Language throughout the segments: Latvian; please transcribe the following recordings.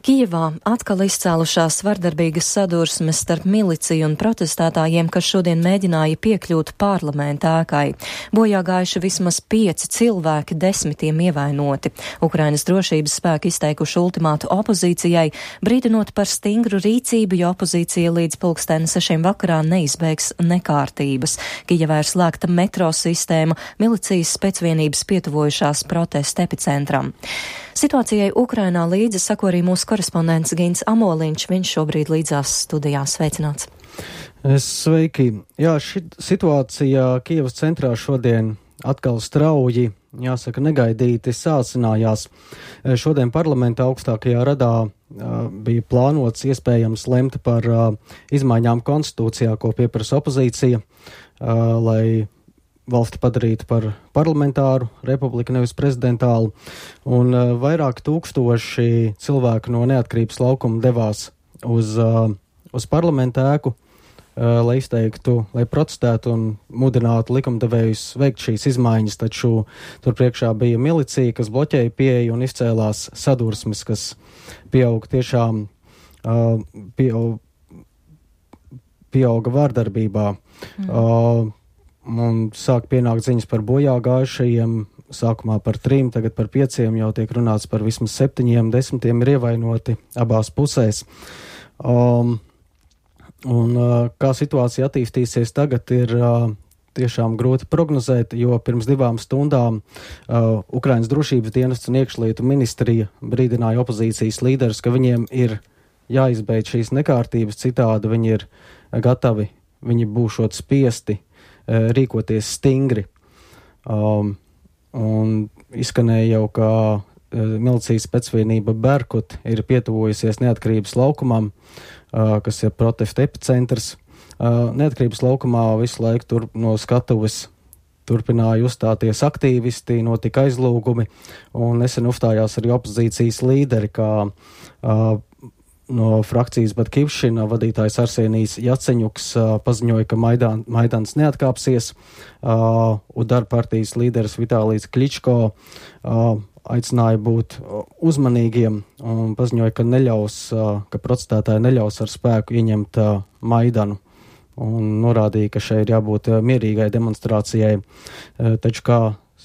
Kijevā atkal izcēlušās vardarbīgas sadursmes starp miliciju un protestētājiem, kas šodien mēģināja piekļūt parlamenta ēkai. Bojā gājuši vismaz 5 cilvēki, 10 ievainoti. Ukrainas drošības spēki izteikuši ultimātu opozīcijai, brīdinot par stingru rīcību, jo opozīcija līdz 6:00 vakarā neizbēgs nekārtības. Kijevā ir slēgta metro sistēma, milicijas spēcvienības pietuvojušās protesta epicentram. Situācijai Ukrainā līdzi sako arī mūsu korespondents Gints Amoliņš. Viņš šobrīd līdzās studijā. Sveicināts! Sveiki! Jā, šī situācija Kijevas centrā šodien atkal strauji, jāsaka, negaidīti sācinājās. Šodien parlamentā augstākajā radā bija plānots iespējams lemt par izmaiņām konstitūcijā, ko pieprasa opozīcija, lai valsti padarītu par parlamentāru republiku, nevis prezidentālu, un vairāk tūkstoši cilvēku no Neatkarības laukuma devās uz parlamenta ēku, lai izteiktu, lai protestētu un mudinātu likumdevējus veikt šīs izmaiņas, taču tur priekšā bija milicija, kas bloķēja pieeju un izcēlās sadursmes, kas pieauga vārdarbībā. Un sāk pienākt ziņas par bojā gājušajiem, sākumā par 3, tagad par 5, jau tiek runāts par vismaz 7, 10 ir ievainoti abās pusēs. Kā situācija attīstīsies tagad, ir tiešām grūti prognozēt, jo pirms 2 stundām Ukrainas drošības dienests un iekšlietu ministrija brīdināja opozīcijas līderus, ka viņiem ir jāizbeidz šīs nekārtības, citādi viņi ir gatavi, viņi būšot spiesti rīkoties stingri. Un izskanēja jau, ka milicijas spēcvienība Berkut ir pietuvojusies Neatkarības laukumam, kas ir protesta epicentrs. Neatkarības laukumā visu laiku no skatuves turpināja uzstāties aktīvisti, notika aizlūgumi, un nesen uzstājās arī opozīcijas līderi, kā no frakcijas Batkivšina vadītājs Arsenijs Jaceņuks paziņoja, ka Maidans neatkāpsies, un darba partijas līderis Vitālijs Kličko aicināja būt uzmanīgiem un paziņoja, ka protestētāji neļaus ar spēku ieņemt Maidanu, un norādīja, ka šeit ir jābūt mierīgai demonstrācijai. Taču kā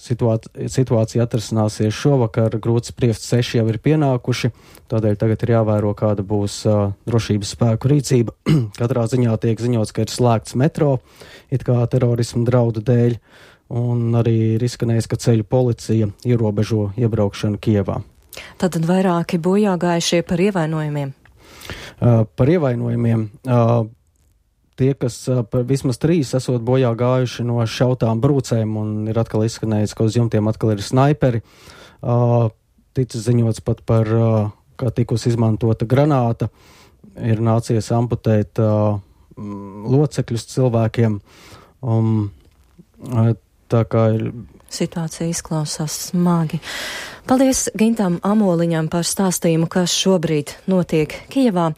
situācija atrasināsies šovakar, grūti spriest, 6 jau ir pienākuši, tādēļ tagad ir jāvēro, kāda būs drošības spēku rīcība. Katrā ziņā tiek ziņots, ka ir slēgts metro, it kā terorismu draudu dēļ, un arī ir izskanējis, ka ceļu policija ierobežo iebraukšanu Kijevā. Tātad vairāki bojāgājušie par ievainojumiem? Par ievainojumiem. Tie, kas vismaz 3 esot bojā gājuši no šautām brūcēm, un ir atkal izskanējis, ka uz jumtiem atkal ir snaiperi. Ticis ziņots pat par, kā tikus izmantota granāta, ir nācies amputēt locekļus cilvēkiem. Tā kā ir... Situācija izklausās smagi. Paldies Gintam Amoliņam par stāstījumu, kas šobrīd notiek Kijevā.